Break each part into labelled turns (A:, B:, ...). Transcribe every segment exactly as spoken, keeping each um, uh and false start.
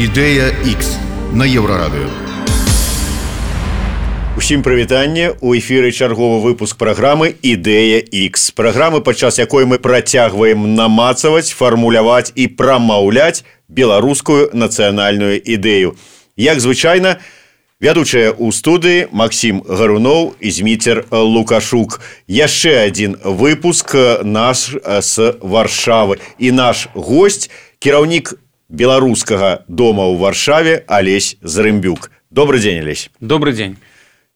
A: Ідэя X на Еўрарадыё.
B: Усім прывітанне. У эфіры чарговы выпуск праграмы «Ідэя X». Праграмы, падчас якой мы працягваем намацаваць, фармуляваць і прамаўляць беларускую нацыянальную ідэю. Як звычайна, вядучая ў студыі Максім Гаруноў і Зміцер Лукашук. Яшчэ адзін выпуск наш з Варшавы. І наш госць, кіраўнік беларускага дома ў Варшаве Алесь Зарымбюк. Добрый дзень, Алесь.
C: Добрый дзень.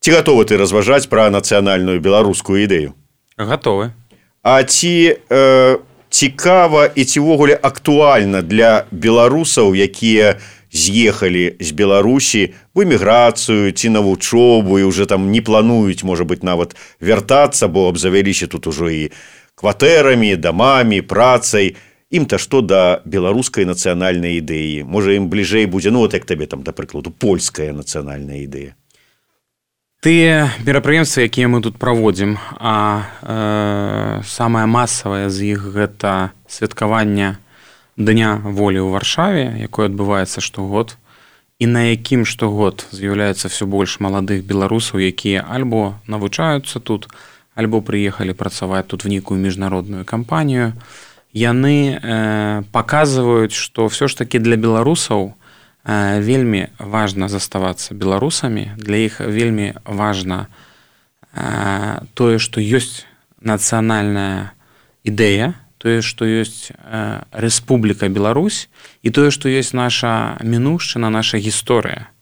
B: Ці гатовы ты разважаць пра нацыянальную беларускую ідэю?
C: Гатовы.
B: А ці э, цікава і ці ўвогуле актуальна для беларусаў, якія з'ехалі з Беларусі в эміграцыю ці на вучобу і уже там не плануюць, можа быць, нават вяртацца, бо абзавяліся тут ужо і кватэрамі, дамамі, працай. Ім-то што да беларускай нацыянальнай ідэі? Можа, ім бліжэй будзе, ну, вот як табе там, да прыкладу, польская нацыянальная ідэя?
C: Тыя мерапрыемствы, якія мы тут праводзім, а э, самае масавае з іх гэта святкаванне Дня волі ў Варшаве, якое адбываецца штогод, і на якім штогод з'яўляецца ўсё больш маладых беларусаў, якія альбо навучаюцца тут, альбо прыехалі працаваць тут в нейкую міжнародную кампанію. Яны э, паказваюць, што ўсё ж такі для беларусаў э, вельмі важна заставацца беларусамі, для іх вельмі важна э, тое, што ёсць нацыянальная ідэя, тое, што ёсць э, Рэспубліка Беларусь і тое, што ёсць наша мінуўшчына, наша гісторыя.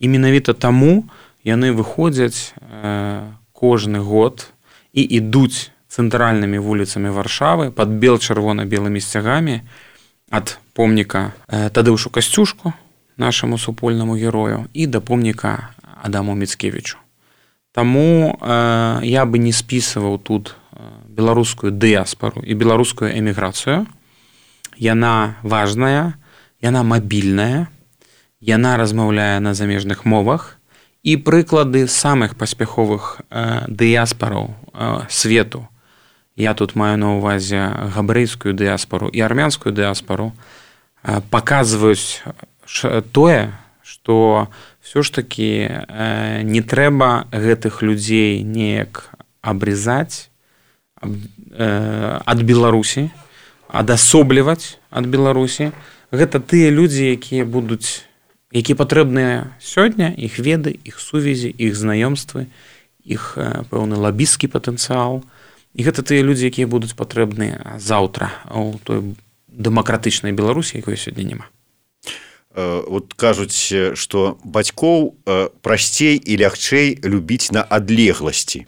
C: І менавіта таму яны выходзяць э, кожны год і ідуць цэнтральнымі вуліцамі Варшавы пад бел-чырвона-белымі сцягамі ад помніка э, Тадеушу Касцюшку, нашаму супольнаму герою, і да помніка Адаму Міцкевічу. Таму э, я бы не спісываў тут беларускую дыяспару і беларускую эміграцыю. Яна важная, яна мабільная, яна размаўляе на замежных мовах, і прыклады самых паспяховых э, дыяспараў э, свету, я тут маю на ўвазе габрэйскую дыяспару і армянскую дыяспару, э, паказваюць тое, што ўсё ж такі э, не трэба гэтых людзей неяк абрызаць ад Беларусі, адасобліваць ад Беларусі. Гэта тыя людзі, якія будуць, якія патрэбныя сёння, іх веды, іх сувязі, іх знаёмствы, іх пэўны лабісцкі патэнцыял. І гэта тыя людзі, якія будуць патрэбныя заўтра у той дэмакратычнай Беларусі, якой сёння няма.
B: Вот кажуць, што бацькоў прасцей і лягчэй любіць на адлегласці.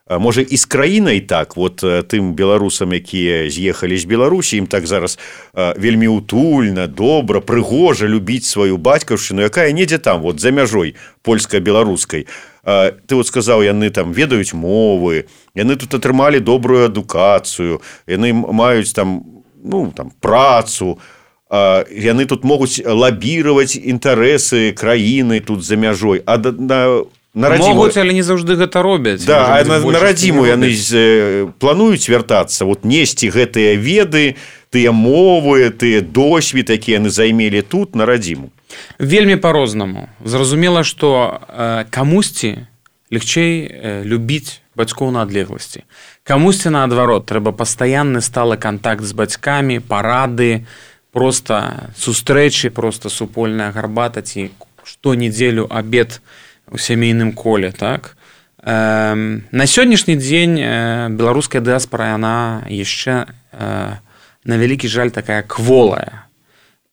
B: Можа, і з краінай так, вот тым беларусам, якія з'ехалі з Беларусі, ім так зараз вельмі утульна, добра, прыгожа любіць сваю бацькаўшчыну, якая недзе там, вот за мяжой польска-беларускай. Ты вот сказаў, яны там ведаюць мовы, яны тут атрымалі добрую адукацыю, яны маюць там, ну, там працу, яны тут могуць лабіраваць інтарэсы краіны тут за мяжой, а на На радзіму...
C: Могуць, але не заўжды гэта робяць.
B: Да, а на, на радзіму яны з, плануюць вяртацца, вот несці гэтыя веды, тыя мовы, тыя досвед, якія яны займелі тут на радзіму.
C: Вельмі па-рознаму. Зразумела, што э, камусьці лягчэй э, любіць бацькоў на адлегласці. Камусьці, наадварот, трэба пастаянны сталы кантакт з бацькамі, парады, проста сустрэчы, проста супольная гарбата ці штонядзелю абед у сямейным коле, так? Э, на сённяшні дзень э, беларуская дыаспара, яна яшчэ э, на вялікі жаль такая кволая.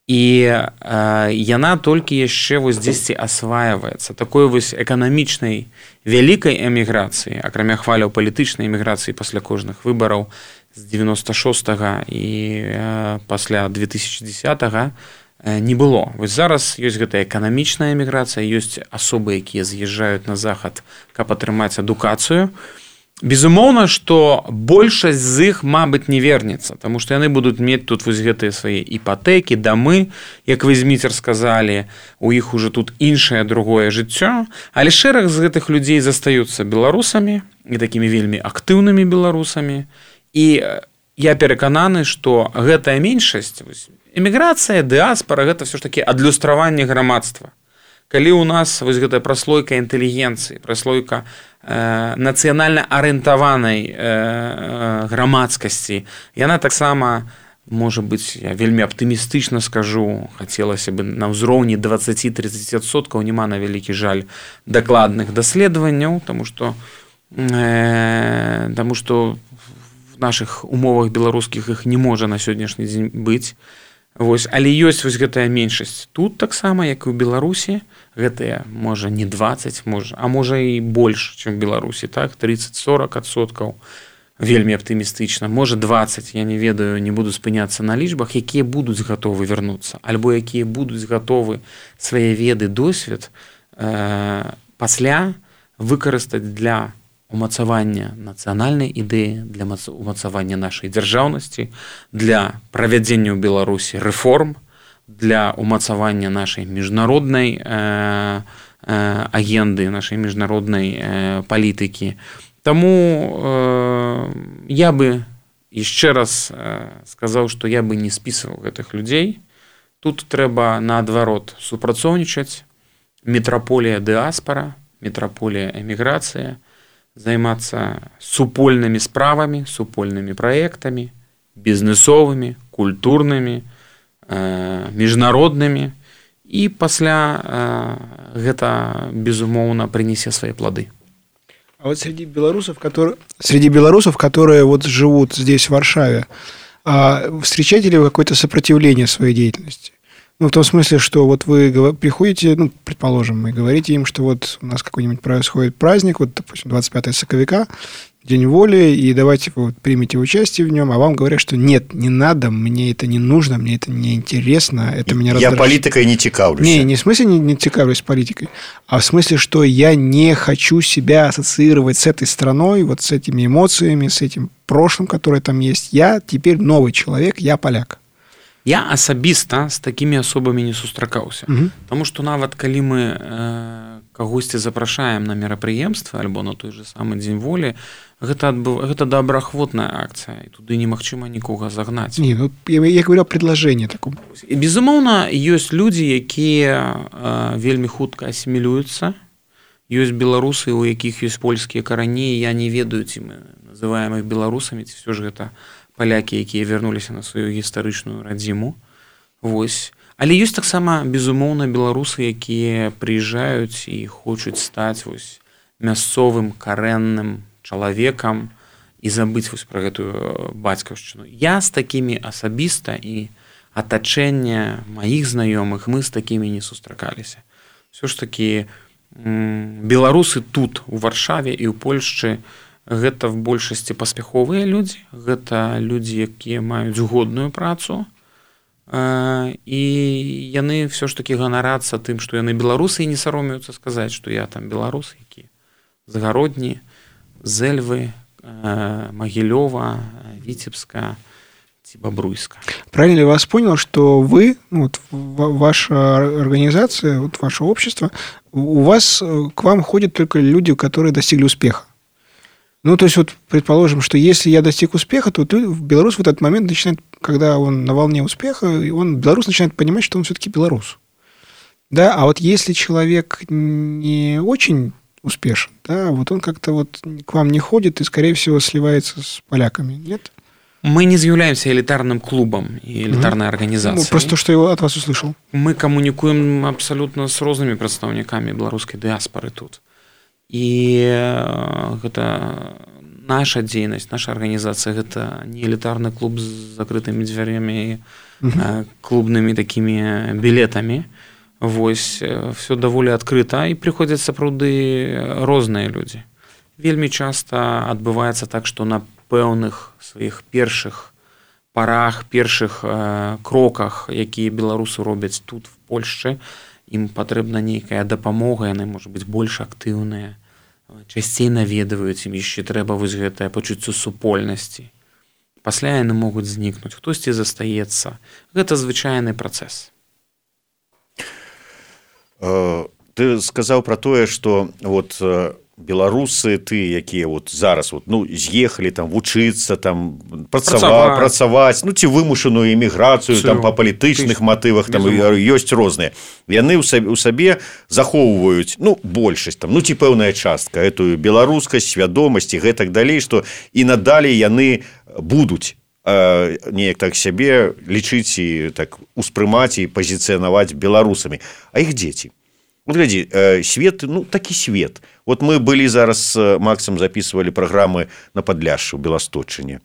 C: І э, яна толькі яшчэ вось дзесьці асваиваецца. Такой вось эканамічнай вялікай эміграцыі, акрамя хваляў палітычнай эміграцыі пасля кожных выбараў з девяносто шостага і э, пасля две тысячи десятага, не было. Вось зараз ёсць гэтая эканамічная эміграцыя, ёсць асобы, якія з'язджаюць на захад, каб атрымаць адукацыю. Безумоўна, што большасць з іх, мабыць, не вернецца, таму што яны будуць мець тут вось гэтыя свае іпатэкі, дамы, як вы, Зміцер, сказалі, у іх уже тут іншае другое жыццё, але шэраг з гэтых людзей застаюцца беларусамі і такімі вельмі актыўнымі беларусамі. І я перакананы, што гэтая меншасць, эміграцыя, дыаспара гэта все ж таки адлюстраванне грамадства. Калі ў нас вось гэтая праслойка інтэлігенцыі, праслойка э, нацыянальна арыентаванай э, грамадскасці, яна таксама, можа быць, я вельмі аптымістычна скажу, хацелася бы на ўзроўні дваццаць-трыццаць адсоткаў, няма на вялікі жаль дакладных даследаванняў, таму што э, таму што в нашых умовах беларускіх іх не можа на сённяшні дзень быць. Вось, але ёсць вось гэтая меншасць. Тут таксама, як і ў Беларусі, гэтыя, можа, не дваццаць, можа, а можа і больш, чым в Беларусі, так, трыццаць-сорак адсоткаў, вельмі аптымістычна, можа дваццаць, я не ведаю, не буду спыняцца на лічбах, якія будуць гатовы вярнуцца, альбо якія будуць гатовы свае веды, досвед э, пасля выкарыстаць для умацавання нацыянальнай ідэі, для умацавання нашай дзяржаўнасці, для правядзення ў Беларусі рэформ, для умацавання нашай міжнароднай э, э, агенды, нашай міжнароднай э, палітыкі. Таму э, я бы яшчэ раз э, сказаў, што я бы не спісваў гэтых людзей. Тут трэба наадварот супрацоўнічаць, метраполія дыаспара, метраполія эміграцыя, займацца супольнымі справамі, супольнымі праектамі, бізнесовымі, культурнымі, э, міжнароднымі, і пасля э, гэта, безумоўна, прынесе свае плады.
D: А вот среди белорусов, которые, среди белорусов, которые вот живут здесь, в Варшаве, а встречаете ли вы какое-то сопротивление своей деятельности? Ну, в том смысле, что вот вы приходите, ну, предположим, и говорите им, что вот у нас какой-нибудь происходит праздник, вот, допустим, двадцать пятое соковика, День воли, и давайте вы вот примите участие в нем, а вам говорят, что нет, не надо, мне это не нужно, мне это не интересно, это меня раздражает.
B: Я политикой не цікавлюся.
D: Не, не в смысле не, не цікавлюсь политикой, а в смысле, что я не хочу себя ассоциировать с этой страной, вот с этими эмоциями, с этим прошлым, которое там есть. Я теперь новый человек, я поляк.
C: Я асабіста з такімі асобамі не сустракаўся.
D: Угу.
C: Таму што нават калі мы э, кагосьці запрашаем на мерапрыемства альбо на той же самы дзень волі, гэта, адбыв... гэта добраахвотная акцыя, і туды немагчыма нікога загнаць.
D: Не, ну, я, я говорю о предложении таком.
C: І, безумоўна, ёсць людзі, якія э, вельмі хутка асімілююцца. Ёсць беларусы, у якіх ёсць польскія карані, я не ведаю, ці мы называем іх беларусамі, ці ўсё ж гэта палякі, якія вярнуліся на сваю гістарычную радзіму. Вось. Але ёсць таксама, безумоўна, беларусы, якія прыязджаюць і хочуць стаць вось мясцовым карэнным чалавекам і забыць вось пра гэтую бацькаўшчыну. Я з такімі асабіста і атачэнне маіх знаёмых, мы з такімі не сустракаліся. Всё ж такі беларусы тут, у Варшаве і ў Польшчы, гэта в большасці паспяховыя людзі, гэта людзі, якія маюць годную працу, і яны ўсё ж такі ганарацца тым, што яны беларусы, і не саромеюцца сказаць, што я там беларус, які з Гародні, з Эльвы, Магілёва, Віцебска ці Бабруйска.
D: Правильно ли вас понял, что вы, вот, ваша организация, вот, ваше общество, у вас, к вам ходят только люди, которые достигли успеха? Ну, то есть, вот, предположим, что если я достиг успеха, то белорус в этот момент начинает, когда он на волне успеха, он, белорус начинает понимать, что он все-таки белорус. Да, а вот если человек не очень успешен, да, вот он как-то вот к вам не ходит и, скорее всего, сливается с поляками, нет?
C: Мы не з'яўляемся элітарным клубам і элітарнай арганізацыяй.
D: Ну, просто што я от вас услышал.
C: Мы камунікуем абсалютна з рознымі прадстаўнікамі беларускай дыаспары тут. І гэта наша дзейнасць, наша арганізацыя, гэта не элітарны клуб з закрытымі дзвярэмі і uh-huh. клубнымі такімі білетамі. Вось, все даволі адкрыта, і прыходзяць сапраўды розныя людзі. Вельмі часта адбываецца так, што на пэўных сваіх першых парах, першых э, кроках, якія беларусы робяць тут, в Польшчы, ім патрэбна нейкая дапамога, яны, можа быць, больш актыўныя, часцей наведваюць, ім яшчэ трэба вось гэтае пачуццё супольнасці. Пасля яны могуць знікнуць, хтосьці застаецца. Гэта звычайны працэс.
B: Ты сказаў пра тое, што вот беларусы ты якія вот зараз вот ну з'ехалі там вучыцца там працаваць,
C: Працаваць.
B: працаваць ну ці вымушаную эміграцыю там па палітычных матывах там ёсць розныя яны ў сабе, ў сабе захоўваюць ну большасць там ну ці пэўная частка этую беларускасць свядомасць і гэтак далей што і надалей яны будуць э, неяк так сябе лічыць і так успрымаць і пазіцыянаваць беларусамі а іх дзеці вот глядзі свет ну такі свет вот мы былі зараз с Максом записывали праграмы на Падляшшы ў Беласточыне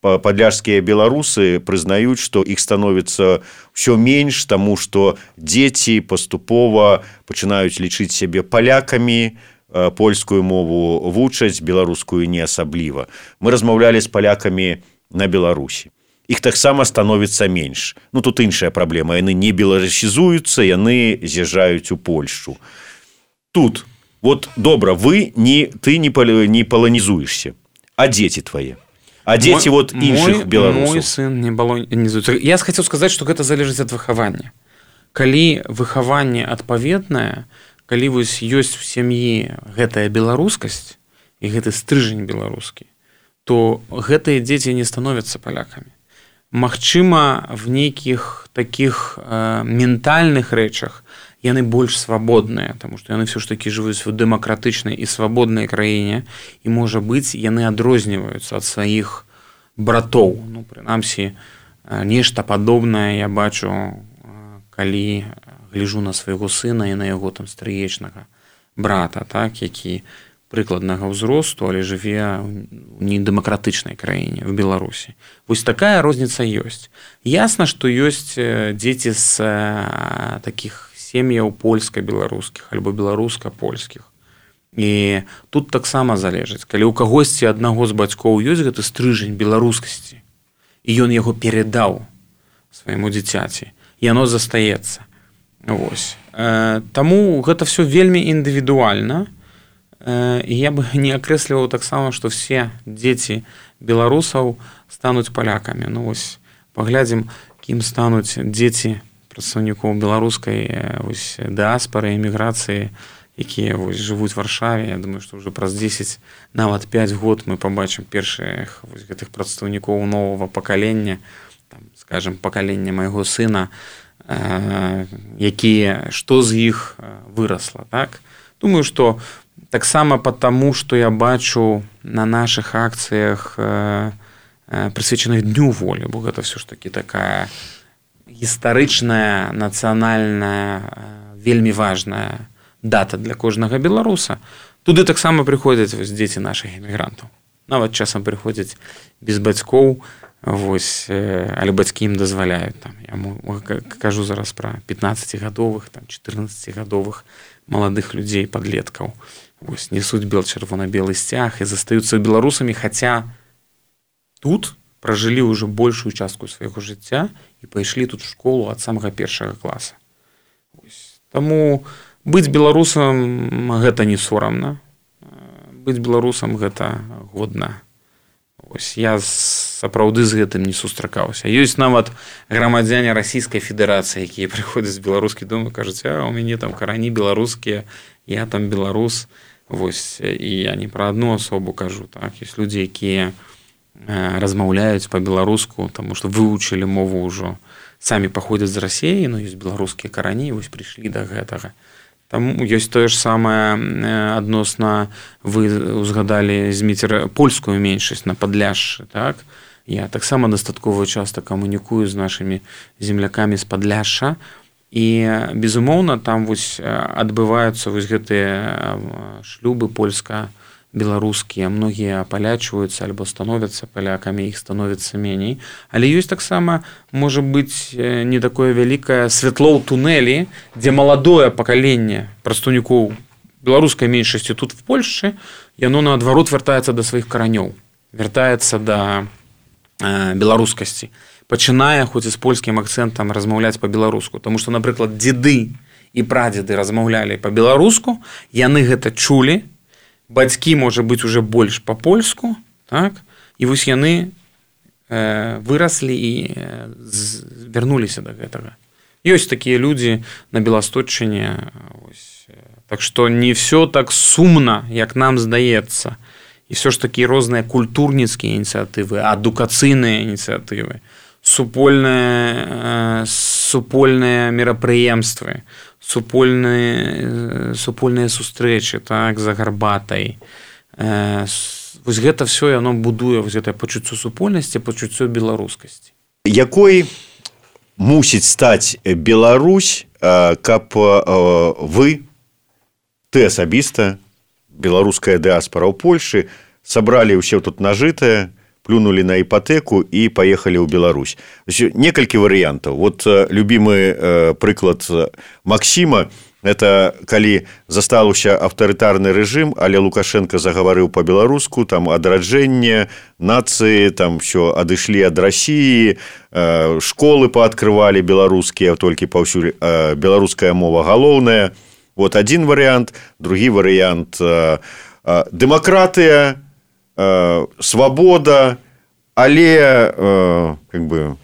B: падляшскія беларусы прызнаюць што іх становіцца ўсё менш таму што дзеці паступова пачынаюць лічыць сябе палякамі польскую мову вучаць беларускую не асабліва мы размаўлялі з палякамі на Беларусі іх таксама становіцца менш ну тут іншая праблема яны не беларусізуюцца яны з'язджаюць у Польшчу тут вот добра вы не ты не не паланізуешься а дзеці твае а дзеці вот іншых беларусаў
C: мой сын не балонізуецца я хотел сказаць што гэта залежыць ад выхавання калі выхаванне адпаведнае калі вось ёсць в сям'і гэтая беларускасць і гэты стрыжань беларускі то гэтыя дзеці не становяцца палякамі магчыма в нейкіх такіх э, ментальных рэчах яны больш свабодныя таму што яны все ж такі жывуць у дэмакратычнай і свабоднай краіне і можа быць яны адрозніваюцца ад сваіх братоў ну прынамсі нешта падобнае я бачу калі гляжу на свайго сына і на яго там стрыечнага брата так які прыкладнага ўзросту, але жыве ў недэмакратычнай краіне, в Беларусі. Вось такая розніца ёсць. Ясна, што ёсць дзеці з такіх сем'яў польска-беларускіх альбо беларуска-польскіх. І тут таксама залежыць. Калі ў кагосьці аднаго з бацькоў ёсць гэты стрыжань беларускасці, і ён яго перадаў свайму дзіцяці, яно застаецца. Вось. Таму гэта все вельмі індывідуальна. І я бы не акрэсліваў таксама, што все дзеці беларусаў стануць палякамі. Ну вось паглядзім, кім стануць дзеці прадстаўнікоў беларускай вось дыаспары, эміграцыі, якія вось жывуць в Варшаве. Я думаю, што ўжо праз дзесяць, нават пяць год мы пабачым першых вось гэтых прадстаўнікоў новага пакалення, там, скажем, пакалення майго сына, якія, што з іх вырасла, так? Думаю, што таксама потому, што я бачу на нашых акцыях, прысвечаных Дню волі, бо гэта все ж таки такая гістарычная, нацыянальная, вельмі важная дата для кожнага беларуса. Туды таксама прыходзяць вось дзеці нашых эмігрантаў. Нават часам прыходзяць без бацькоў, вось, але бацькі ім дазваляюць. Там, я кажу зараз пра пятнаццацігадовых, там, чатырнаццацігадовых маладых людзей, падлеткаў. Вось, несуць бел-чырвона-белы сцяг і застаюцца беларусамі, хаця тут пражылі ўжо большую частку свайго жыцця і пайшлі тут в школу ад самага першага класа. Вось. Таму быць беларусам гэта не сорамна. Быць беларусам гэта годна. Вось, я сапраўды з гэтым не сустракаўся. Ёсць нават грамадзяне Расійскай Федэрацыі, якія прыходзяць з беларускі дом і кажуць, а у мяне там карані беларускія, я там беларус. Вось, і я не пра адну асобу кажу. Так? Ёсць людзі, якія размаўляюць па-беларуску, таму што вывучылі мову ўжо, самі паходзяць з Расіі, но ёсць беларускія карані, вось прыйшлі да гэтага. Таму ёсць тое ж самае адносна, вы узгадалі зміцер польскую меншасць на Падляшшы, так? Я таксама дастаткова часта камунікую з нашымі землякамі з Падляшша, і, безумоўна, там вось адбываюцца вось гэтыя шлюбы польска-беларускія, многія апалячваюцца альбо становяцца палякамі, іх становіцца меней, але ёсць таксама, можа быць, не такое вялікае святло ў тунэлі, дзе маладое пакаленне прадстаўнікоў беларускай меншасці тут в Польшчы, яно наадварот вяртаецца да сваіх каранёў, вяртаецца да беларускасці, пачынае хоць і з польскім акцэнтам размаўляць па-беларуску, таму што, напрыклад, дзеды і прадзеды размаўлялі па-беларуску, яны гэта чулі, бацькі, можа быць, уже больш па-польску, так? І вось яны э, выраслі і э, вярнуліся да гэтага. Ёсць такія людзі на Беласточчыне, ось, Так што не все так сумна, як нам здаецца. І все ж такі розныя культурніцкія ініцыятывы, адукацыйныя ініцыятывы, супольныя, супольныя мерапрыемствы, супольныя, супольныя сустрэчы, так, за гарбатай. Вось гэта все яно будуе вось гэтае пачуццё супольнасці, пачуццё беларускасці.
B: Якой мусіць стаць Беларусь, каб вы, ты асабіста, беларуская дыаспара ў Польшы, сабралі ўсё тут нажытае, плюнули на іпотэку і паехалі ў Беларусь. Некалькі варыянтаў. Вот любімы прыклад Максіма, это калі застаўся аўтарытарны рэжым, але Лукашенко загаварыў па-беларуску, там адраджэнне, нацыі, там ўсё адышлі ад Расіі, школы пааткрывалі беларускія, толькі паўсюль беларуская мова галоўная. Вот один вариант, другі варыянт дэмакратыя, свабода, але как бы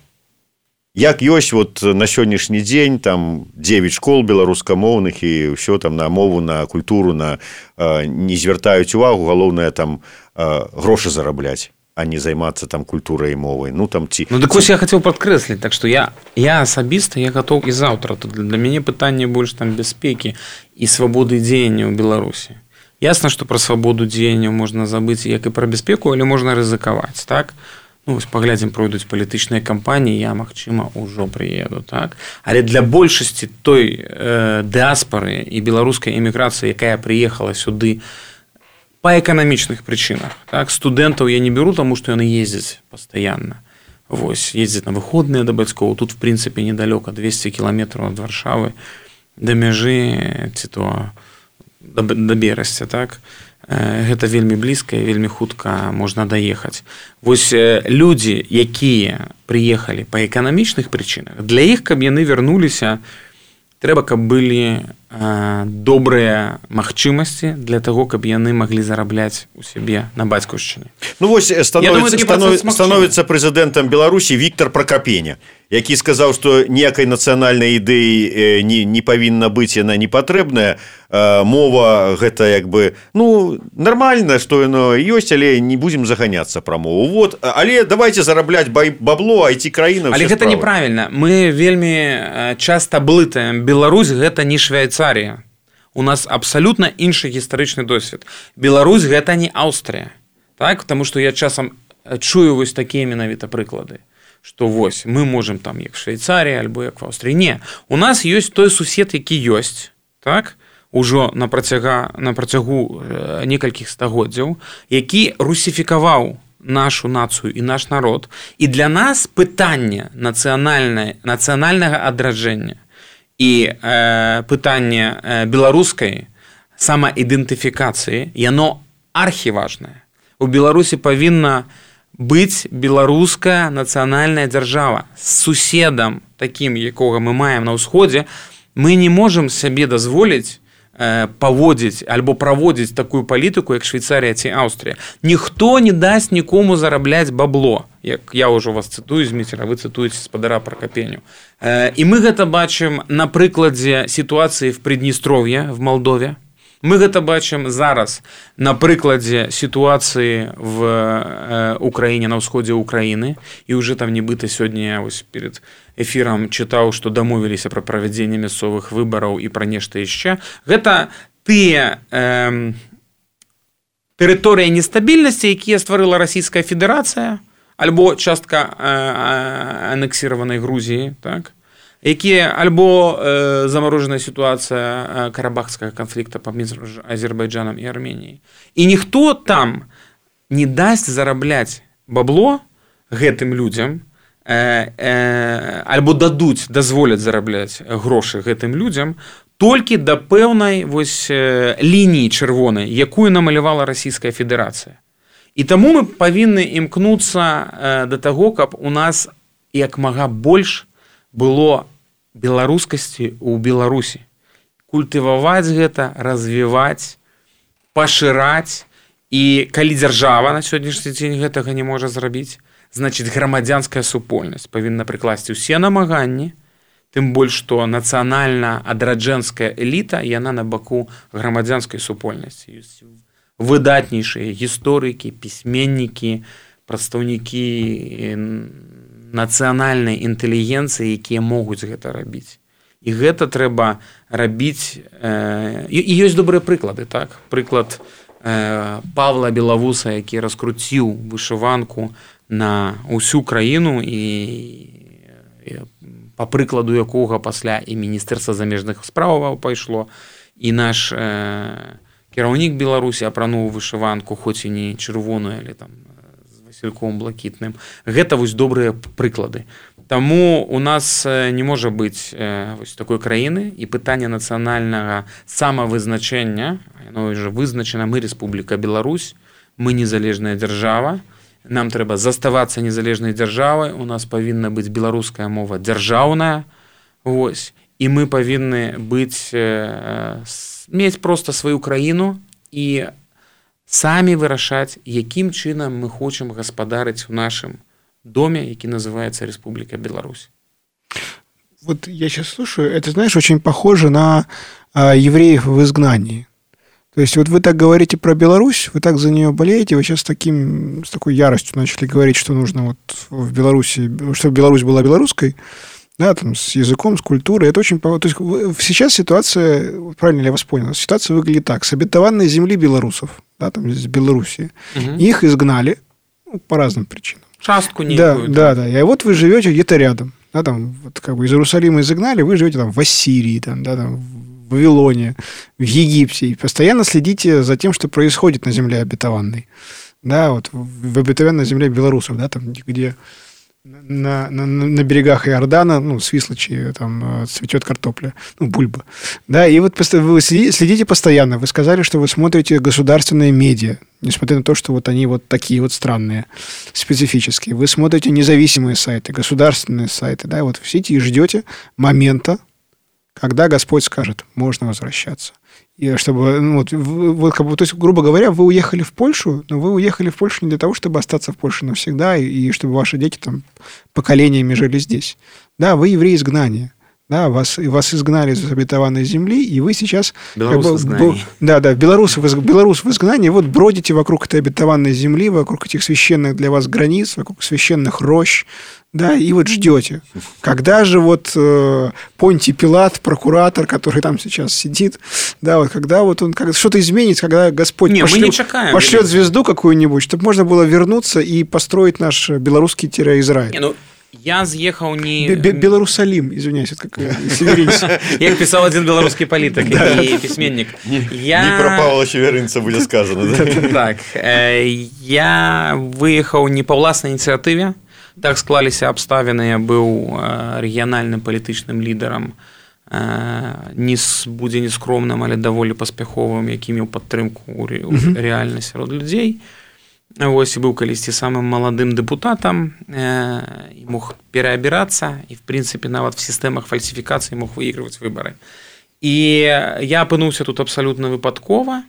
B: як ёсць вот на сённяшні дзень там дзевяць школ беларускамоўных і ўсё там на мову, на культуру, на не звяртаюць увагу, галоўнае там грошы зарабляць, а не займацца там культурай і мовай. Ну там ці.
C: Ну дык вось я хацеў падкрэсліць, так што я я асабіста я гатоў і заўтра. Тут для мяне пытанне больш там бяспекі і свабоды дзеяння ў Беларусі. Ясна, што пра свабоду дзеяння можна забыць, як і пра бяспеку, але можна рызыкаваць, так? Ну вось паглядзім, пройдуць палітычныя кампаніі, я магчыма ўжо прыеду, так? Але для большасці той э, дыаспары і беларускай эміграцыі, якая прыехала сюды по эканамічных прычынах. Так? Студэнтаў я не беру, таму што яны ездзяць пастаянна. Вось, ездзяць на выходныя да бацькоў. Тут, в прынцыпе, недалёка, двесце кіламетраў ад Варшавы, да мяжы, ці то да, да Берасця. Так? Гэта вельмі блізка і вельмі хутка можна даехаць. Вось людзі, якія прыехалі па эканамічных прычынах, для іх, каб яны вярнуліся, трэба, каб былі э, добрыя магчымасці для таго, каб яны маглі зарабляць у сябе на бацькаўшчыне.
B: Ну вось становіцца, станов... становіцца прэзідэнтам Беларусі Віктор Пракапеня, які сказаў, што ніякай нацыянальнай ідэі не, не павінна быць, яна не патрэбная. Мова гэта як бы, ну, нармальна, што яно ёсць, але не будзем заганяцца пра мову. Вот, але давайте зарабляць бабло, а ідці краіна.
C: Але гэта неправільна. Мы вельмі часта блытаем. Беларусь гэта не Швейцарія. У нас абсалютна іншы гістарычны досвед. Беларусь гэта не Аўстрыя. Так? Таму што я часам чую вось такія менавіта прыклады. Што вось, мы можам там як Швейцарія, альбо як в Аўстрыі. Не. У нас ёсць той сусед, які ёсць. Так? Ужо на працяга, на працягу некалькіх стагоддзяў, які русіфікаваў нашу нацыю і наш народ. І для нас пытанне нацыянальнага адраджэння і э, пытанне э, беларускай самаідэнтыфікацыі, яно архіважнае. У Беларусі павінна быць беларуская нацыянальная дзяржава з суседам такім, якога мы маем на ўсходзе. Мы не можам сабе дазволіць паводзіць альбо праводзіць такую палітыку, як Швейцарія ці Аўстрія. Ніхто не дасць нікому зарабляць бабло, як я ўжо вас цытую, Зміцер, а вы цытуеце спадара Пракапеню. І мы гэта бачым на прыкладзе сітуацыі в Приднестровье, в Молдове. Мы гэта бачым зараз на прыкладзе сітуацыі в Украіне, на ўсходзе Украіны, і ўжо там нібыта сёння ось перед эфірам чытаў, што дамовіліся пра правядзенне мясцовых выбараў і пра нешта яшчэ. Гэта тыя э, тэрыторыі нестабільнасці, якія стварыла Расійская Федэрацыя, альбо частка э, анексіраванай Грузіі, так? Якія альбо э, замарожаная сітуацыя э, карабахскага канфлікта паміж Азербайджанам і Арменіяй. І ніхто там не дасць зарабляць бабло гэтым людзям, э, э, альбо дадуць, дазволяць зарабляць грошы гэтым людзям толькі да пэўнай вось э, лініі чырвонай, якую намалявала Расійская Федэрацыя. І таму мы павінны імкнуцца э, да таго, каб у нас як мага больш было беларускасці ў Беларусі. Культываваць гэта, развіваць, пашыраць. І калі дзяржава на сённяшні дзень гэтага не можа зрабіць, значыць грамадзянская супольнасць павінна прыкласці ўсе намаганні тым больш што нацыянальна-адраджэнская эліта яна на баку грамадзянскай супольнасці. Ёсць выдатнейшыя гісторыкі, пісьменнікі, прадстаўнікі нацыянальнай інтэлігенцыі, якія могуць гэта рабіць. І гэта трэба рабіць. І ёсць добрыя прыклады, так? Прыклад Павла Белавуса, які раскруціў вышыванку на ўсю краіну і па прыкладу якога пасля і Міністэрства замежных справаў пайшло, і наш кіраўнік Беларусі апрануў вышыванку, хоць і не чырвоную, але там з васільком блакітным. Гэта вось добрыя прыклады. Таму у нас не можа быць вось такой краіны, і пытанне нацыянальнага самавызначэння, яно ўжо вызначана, мы Рэспубліка Беларусь, мы незалежная дзяржава, нам трэба заставацца незалежнай дзяржавай, у нас павінна быць беларуская мова дзяржаўная, вось, і мы павінны быць, мець проста сваю краіну і самі вырашаць, якім чынам мы хочам гаспадарыць у нашым доме, які называется Республика Беларусь.
D: Вот я сейчас слушаю, это, знаешь, очень похоже на а, евреев в изгнании. То есть вот вы так говорите про Беларусь, вы так за нее болеете, вы сейчас с, таким, с такой яростью начали говорить, что нужно вот в Беларуси, чтобы Беларусь была белорусской, да, там, с языком, с культурой. Это очень... То есть сейчас ситуация, правильно ли я вас понял, ситуация выглядит так. С обетованной земли белорусов, да, там, из Белоруссии, угу. Их изгнали, ну, по разным причинам.
C: Частку не
D: да, будет. Да, да. И вот вы живете где-то рядом. Да, там, вот, как бы из Иерусалима изгнали, вы живете там в Ассирии, там, да, там, в Вавилоне, в Египте. И постоянно следите за тем, что происходит на земле обетованной. Да, вот в обетованной земле белорусов, да, там, где на, на, на берегах Иордана, ну, с Вислочи, там цветет картопля, ну, бульба. Да, и вот вы следите постоянно. Вы сказали, что вы смотрите государственные медиа, несмотря на то, что вот они вот такие вот странные, специфические. Вы смотрите независимые сайты, государственные сайты, да, вот сидите и ждете момента, когда Господь скажет, можно возвращаться. И чтобы, ну, вот, вот, как бы, то есть, грубо говоря, вы уехали в Польшу, но вы уехали в Польшу не для того, чтобы остаться в Польше навсегда, и, и чтобы ваши дети там поколениями жили здесь. Да, вы евреи изгнания. Да, вас, вас изгнали из обетованной земли, и вы сейчас...
C: Белорус
D: как бы,
C: в изгнании.
D: Да, да, белорус в, белорус в изгнании. Вот бродите вокруг этой обетованной земли, вокруг этих священных для вас границ, вокруг священных рощ, да, и вот ждете. Когда же вот э, Понтий Пилат, прокуратор, который там сейчас сидит, да, вот когда вот он как, что-то изменится, когда Господь
C: не,
D: пошлет,
C: мы не чекаем,
D: пошлет звезду какую-нибудь, чтобы можно было вернуться и построить наш белорусский-Израиль.
C: Не, ну... Я з'ехаў не...
D: Беларусалім, извиняюсь, это как северинец.
C: Як писал один белорусский политик и письменник.
B: Не про Павла Северинца будет сказано.
C: Так, я выехаў не по ўласнай ініцыятыве. Так склаліся абставіны, я быў рэгіянальным палітычным лідарам, не будзе не скромным, але даволі паспяховым, які меў падтрымку рэальна сярод людзей. Вось, і быў калісьці самым маладым дэпутатам, э, і мог пераабірацца, і, в прынцыпе, нават в сістэмах фальсіфікацыі мог выйгрываць выбары. І я апынуўся тут абсалютна выпадкова,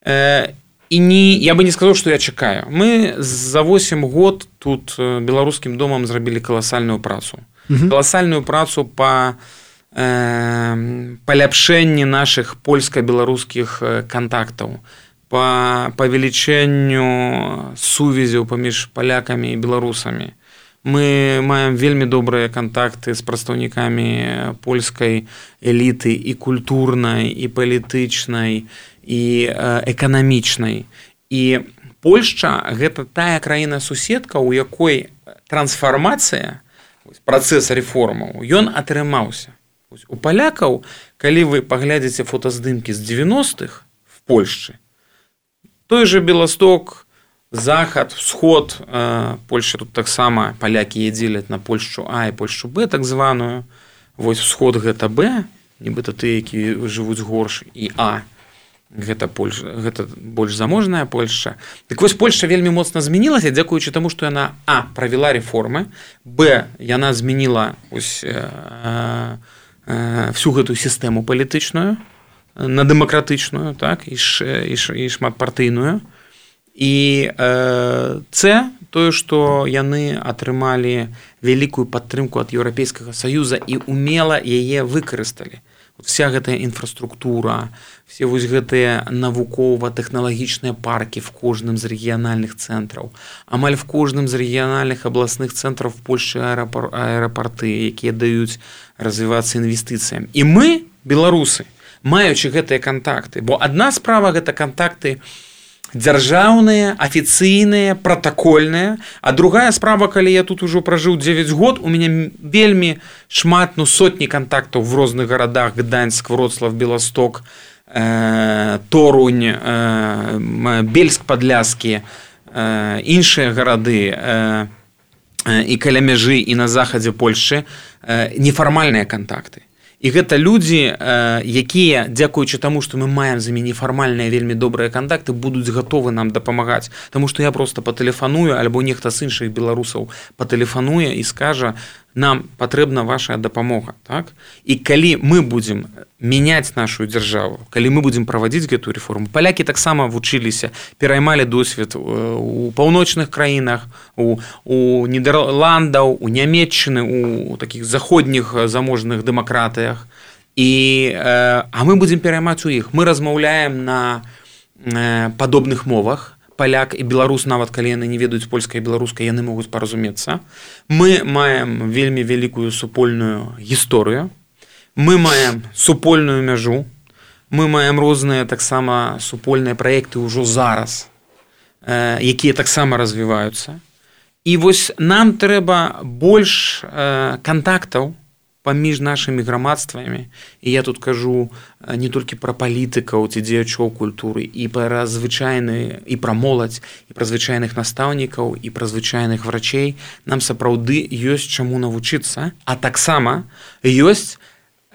C: э, і не, я бы не сказаў, што я чакаю. Мы за восемь год тут беларускім домам зрабілі каласальную працу. Mm-hmm. Каласальную працу па э, паляпшэнні нашых польска-беларускіх кантактаў, по павелічэнню сувязяў паміж палякамі і беларусамі. Мы маем вельмі добрыя кантакты з прадстаўнікамі польскай эліты і культурнай, і палітычнай, і эканамічнай. І Польшча – гэта тая краіна-суседка, у якой трансфармацыя, працэс рэформаў, ён атрымаўся. У палякаў, калі вы паглядзіце фотаздымкі з дзевяностых в Польшчы, той же Белосток, Захад, Всход, э, Польша тут таксама, палякі дзеляць на Польшчу А і Польшчу Б, так званую. Вось Всход гэта Б, нібыта тыя, які жывуць горш, і А, гэта, Польша, гэта больш заможная Польшча. Так вось Польшча вельмі моцна змянілася, дзякуючы таму, што яна А, правіла рэформы, Б, яна змяніла ось, э, э, всю гэтую сістэму палітычную, на дэмакратычную, так, і, ш, і, ш, і шматпартыйную. І э, це тое, што яны атрымалі вялікую падтрымку ад Еўрапейскага Саюза і умела яе выкарысталі. Вся гэтая інфраструктура, все вось гэтыя навукова-тэхналагічныя паркі в кожным з рэгіянальных цэнтраў, амаль в кожным з рэгіянальных абласных цэнтраў в Польшчы аэрапорты, якія даюць развівацца інвестыцыям. І мы, беларусы, маючы гэтыя кантакты, бо адна справа гэта кантакты дзяржаўныя, афіцыйныя, пратакольныя, а другая справа, калі я тут ужо пражыў дзевяць год, у мяне вельмі шмат, ну, сотні кантактаў в розных гарадах: Гданьск, Вроцлав, Беласток, э, Торунь, э, Бельск-Падляскі, э, іншыя гарады э, э, і каля мяжы, і на захадзе Польшчы, э, нефармальныя кантакты. І гэта людзі, якія, дзякуючы таму, што мы маем з імі нефармальныя вельмі добрыя кантакты, будуць гатовы нам дапамагаць. Таму што я проста патэлефаную, альбо нехта з іншых беларусаў патэлефануе і скажа: нам патрэбна ваша дапамога. Так? І калі мы будзем мяняць нашу дзяржаву, калі мы будзем правадзіць гэтую рэформу, палякі таксама вучыліся, пераймалі досвед у паўночных краінах, у, у Нідерландаў, у Нямецчыны, у такіх заходніх заможных дэмакратыях. І, а мы будзем пераймаць у іх. Мы размаўляем на падобных мовах. Паляк і беларус, нават калі яны не ведаюць польскай і беларускай, яны могуць паразумецца. Мы маем вельмі вялікую супольную гісторыю. Мы маем супольную мяжу. Мы маем розныя таксама супольныя праекты ўжо зараз, якія таксама развіваюцца. І вось нам трэба больш кантактаў паміж нашымі грамадствамі. І я тут кажу не толькі пра палітыкаў ці дзеячоў культуры, і пра звычайныя, і пра моладзь, і пра звычайных настаўнікаў, і пра звычайных врачей. Нам сапраўды ёсць чаму навучыцца, а таксама ёсць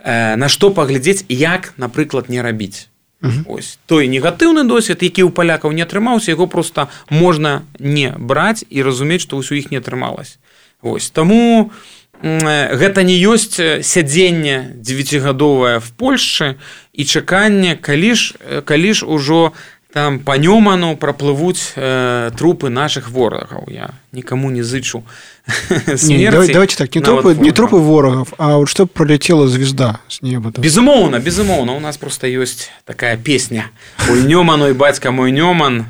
C: э, на што паглядзець, як, напрыклад, не рабіць. Uh-huh. Ось той негатыўны досвед, які ў палякаў не атрымаўся, яго проста можна не браць і разумець, што ўсё іх не атрымалася. Ось таму гэта не ёсць сядзенне дзевяцігадовае в Польшчы і чаканне, калі ж, калі ж ужо там па Нёману праплывуць э, трупы нашых ворагаў. Я никому не зычу смерти.
D: Не, давайте, давайте так, не трупы, не трупы ворогов, а вот чтобы пролетела звезда с неба. Так.
C: Безумоўна, безумоўна. У нас просто есть такая песня: «Ой, Нёман, ой, бацька мой Нёман».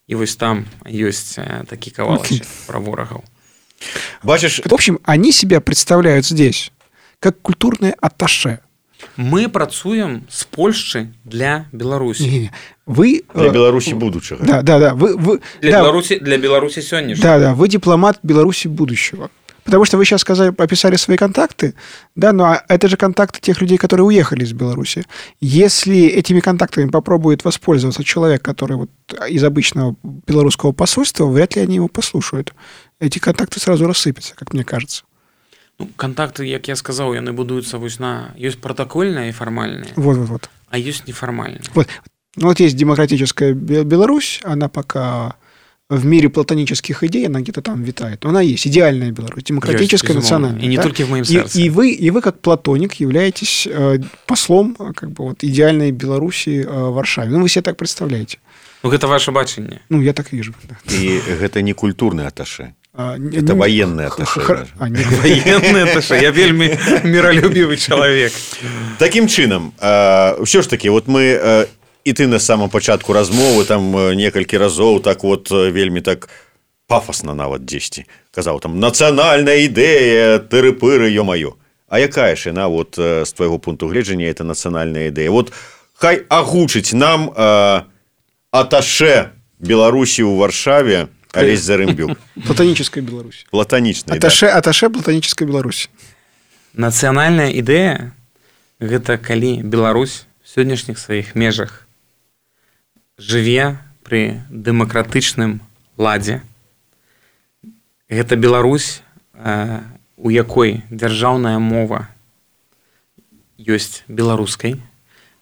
C: И вот там есть такие кавалочки про ворогов.
B: Бачишь...
D: В общем, они себя представляют здесь как культурные атташе.
C: Мы працуем с Польшчы для Беларусі.
D: Не, не. Вы,
B: для Беларусі будучага.
D: Да, да, да. Вы, вы,
C: для,
D: да.
C: Беларуси, для Беларуси сённяшняга.
D: Да, да. Вы дипломат Беларуси будущего. Потому что вы сейчас сказали, описали свои контакты, да, но это же контакты тех людей, которые уехали из Беларуси. Если этими контактами попробует воспользоваться человек, который вот из обычного белорусского посольства, вряд ли они его послушают. Эти контакты сразу рассыпятся, как мне кажется.
C: Ну, контакты, як я сказал, яны будуюцца вось на... Есть протокольные и формальные.
D: Вот, вот, вот.
C: А есть неформальные.
D: Вот. Ну, вот есть демократическая Беларусь, она пока в мире платонических идей, она где-то там витает. Но она есть. Идеальная Беларусь, демократическая, есть, национальная.
C: И не
D: да?
C: только в моем сердце.
D: И, и, вы, и вы, как платоник, являетесь э, послом как бы, вот, идеальной Беларуси э, в Варшаве. Ну, вы себе так представляете.
C: Ну, это ваше бачанне.
D: Ну, я так вижу. Да.
B: И это не культурный атташе.
D: А,
B: это не, военный атташе.
D: Х- а,
C: военный атташе. Я вельми миролюбивый человек.
B: Таким чином, все ж таки, вот мы... І ты на самом пачатку размовы там некалькі разоў так вот вельмі так пафосна нават дзесьці казаў там нацыянальная ідэя, тыры-пыры, ё-маё. А якая ж яна вот з твайго пункту гледжання это нацыянальная ідэя? Вот хай агучыць нам э, аташе Беларусі ў Варшаве Алесь Зарымбюк.
D: Платоническая Беларусь.
B: Платонічная,
D: аташе,
B: да.
D: Аташе платоническая Беларусь.
C: Нацыянальная ідэя гэта калі Беларусь в сённяшніх сваіх межах жыве пры дэмакратычным ладзе. Гэта Беларусь, у якой дзяржаўная мова ёсць беларускай.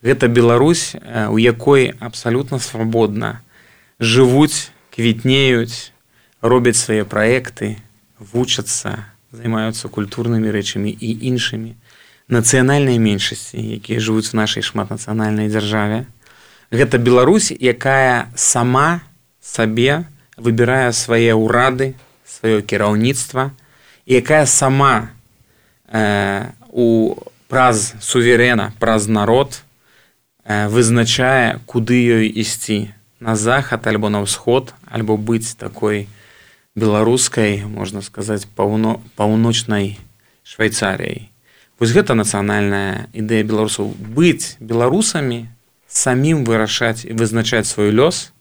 C: Гэта Беларусь, у якой абсалютна свабодна жывуць, квітнеюць, робяць свае праекты, вучацца, займаюцца культурнымі рэчамі і іншымі нацыянальныя меншасці, якія жывуць у нашай шматнацыянальнай дзяржаве. Гэта Беларусь, якая сама сабе выбірае свае ўрады, сваё кіраўніцтва, і якая сама э, у праз суверена, праз народ э, вызначае, куды ёй ісці, на захад альбо на ўсход, альбо быць такой беларускай, можна сказаць, паўно, паўночнай Швейцарыяй. Вось гэта нацыянальная ідэя беларусаў. Быць беларусамі, самім вырашаць і вызначаць свой лёс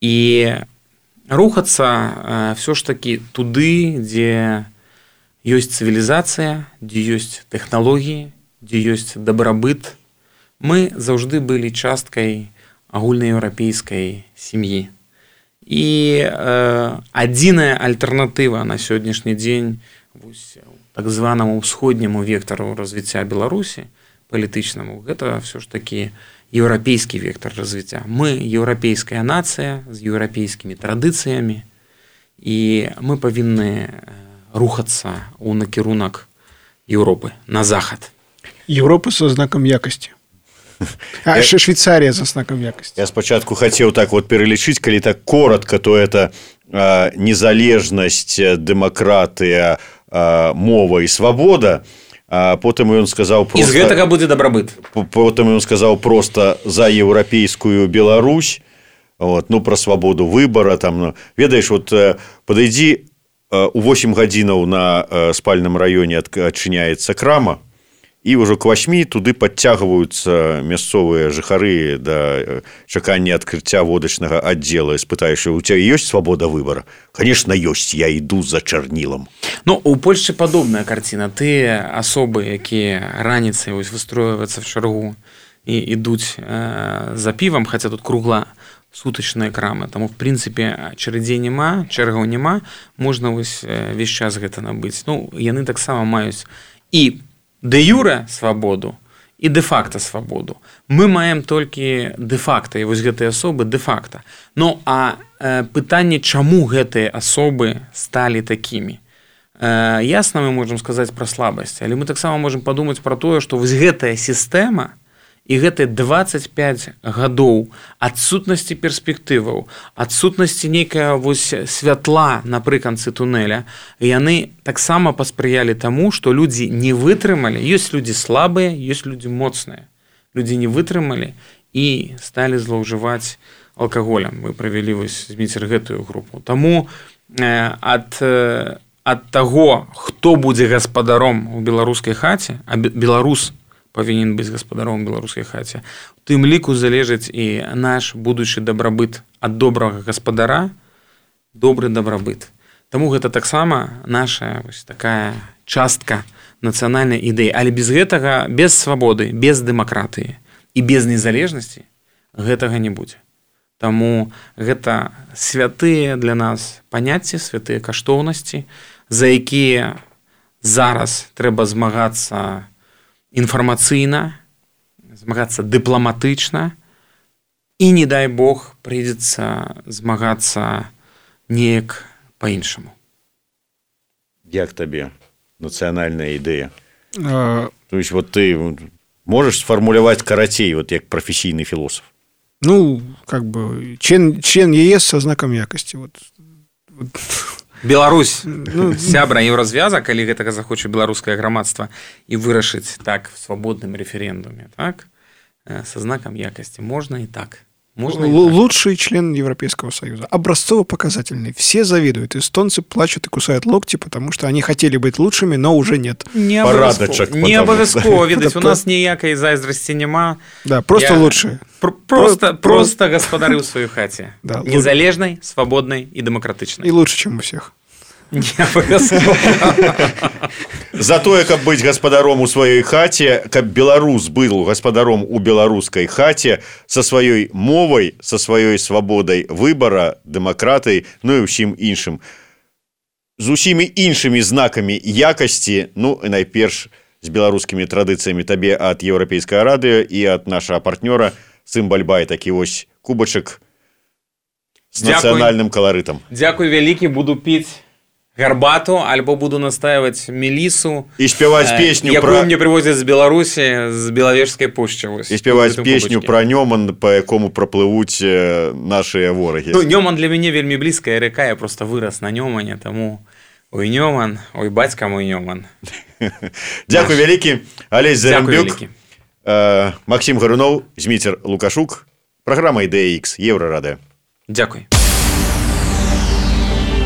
C: і рухацца э, все ж такі туды, дзе ёсць цывілізацыя, дзе ёсць тэхналогіі, дзе ёсць дабрабыт. Мы заўжды былі часткай агульнаеўрапейскай сям'і. І э, адзіная альтэрнатыва на сённяшні дзень вось, так званаму ўсходняму вектару развіцця Беларусі палітычнаму, гэта все ж такі еўрапейскі вектар развіцця. Мы еўрапейская нацыя з еўрапейскімі традыцыямі, і мы павінны рухацца ў накірунак Еўропы, на захад.
D: Еўропа са знакам якасці. А яшчэ Швейцарія за знакам якасці.
B: Я спачатку хацеў так вот пералічыць, калі так коротко, то это э, незалежнасць, дэмакратыя, э, мова і свабода. А потым ён сказаў
C: просто... І з гэтага будзе дабрабыт.
B: Потым ён сказаў просто за еўрапейскую Беларусь, вот, ну пра свабоду выбара там, ну, ведаеш, вот падыдзі у восемь гадзінаў на спальным раёне адчыняецца крама, і ўжо к васьмі туды падцягваюцца мясцовыя жыхары да чакання адкрыцця водачнага аддзела. Спытаеш, у цябе ёсць свабода выбара? Конечно, ёсць, я іду за чарнілам.
C: Ну, у Польшчы падобная карціна. Тыя асобы, якія раніцай выстройваюцца в чаргу і ідуць э, за півам, хаця тут кругла сутачныя крамы. Таму, в прынцыпе, чарадзей няма, чэргаў няма, можна вось весь час гэта набыць. Ну, яны таксама маюць і дэ-юрэ свабоду і дэ-факта свабоду. Мы маем толькі дэ-факта, і вось гэтыя асобы дэ-факта. Ну, а э, пытанне, чаму гэтыя асобы сталі такімі? Э, ясна, мы можам сказаць пра слабасць, але мы таксама можам падумаць пра тое, што вось гэтая сістэма і гэтыя дваццаць пяць гадоў адсутнасці перспектываў, адсутнасці нейкая вось святла напрыканцы тунэля, яны таксама паспрыялі таму, што людзі не вытрымалі, ёсць людзі слабыя, ёсць людзі моцныя. Людзі не вытрымалі і сталі злоўжываць алкаголем. Вы правялі вось Зміцер гэтую групу. Таму э, ад, э, ад таго, хто будзе гаспадаром у беларускай хаце, а беларус павінен быць гаспадаром беларускай хаце, у тым ліку залежыць і наш будучы дабрабыт ад добрага гаспадара, добры дабрабыт. Таму гэта таксама наша вось такая частка нацыянальнай ідэі. Але без гэтага, без свабоды, без дэмакратыі і без незалежнасці гэтага не будзе. Таму гэта святыя для нас паняцці, святыя каштоўнасці, за якія зараз трэба змагацца інфармацыйна, змагацца дыпламатычна, і, не дай Бог, прыйдзецца змагацца неяк па-іншаму.
B: Як табе нацыянальная ідэя?
D: А...
B: То есть, вот ты можаш сфармуляваць карацей, вот як прафесійны філосаф?
D: Ну, как бы, член, член ЕС со знаком якасці. Вот, вот.
C: Беларусь, ну, сябра еўразвяза, калі гэтага захоча беларускае грамадства і вырашыць так в свабодным рэферэндуме, так, со знаком якасці. Можно и так. Можно
D: Л- лучший член Европейского Союза. Образцово-показательный. Все завидуют. Эстонцы плачут и кусают локти, потому что они хотели быть лучшими, но уже нет.
C: Не обовязково. Не обовязково. Видать, у нас ніякай зайздрасці нема.
D: Да, просто лучшие.
C: Просто, просто гаспадары ў сваёй хаце. Незалежнай, свабоднай і дэмакратычнай.
D: И лучше, чем у всех.
C: Не обовязково.
B: За тое, каб быць гаспадаром у сваёй хаце, каб беларус быў гаспадаром у беларускай хаце са сваёй мовай, са сваёй свабодай выбара, дэмакратыяй, ну і ўсім іншым. З усімі іншымі знакамі якасці, ну і найперш з беларускімі традыцыямі табе ад еўрапейскага радыё і ад нашага партнёра Цымбальбай, такі вось кубачак з нацыянальным каларытам.
C: Дзякуй вялікі, буду піць гарбату, альбо буду настаивать мелісу.
B: І спяваць песню
C: якую
B: пра...
C: мне привозят з Беларусі, з Белавежскай пушчы.
B: І спяваць песню пра Нёман, па якому праплывуць нашыя ворагі.
C: Ну, Нёман для мяне вельмі блізкая рака, я просто вырас на Нёмане, таму ой, Нёман, ой, бацька мой Нёман.
B: Дзякуй вялікі, Алесь Зарэмбюк, Максим Гаруноў, Зміцер Лукашук, праграма «Ідэя Х», Еўрарадыё.
C: Дзякуй.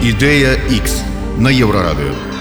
A: «Ідэя Х» на Еўрарадыё.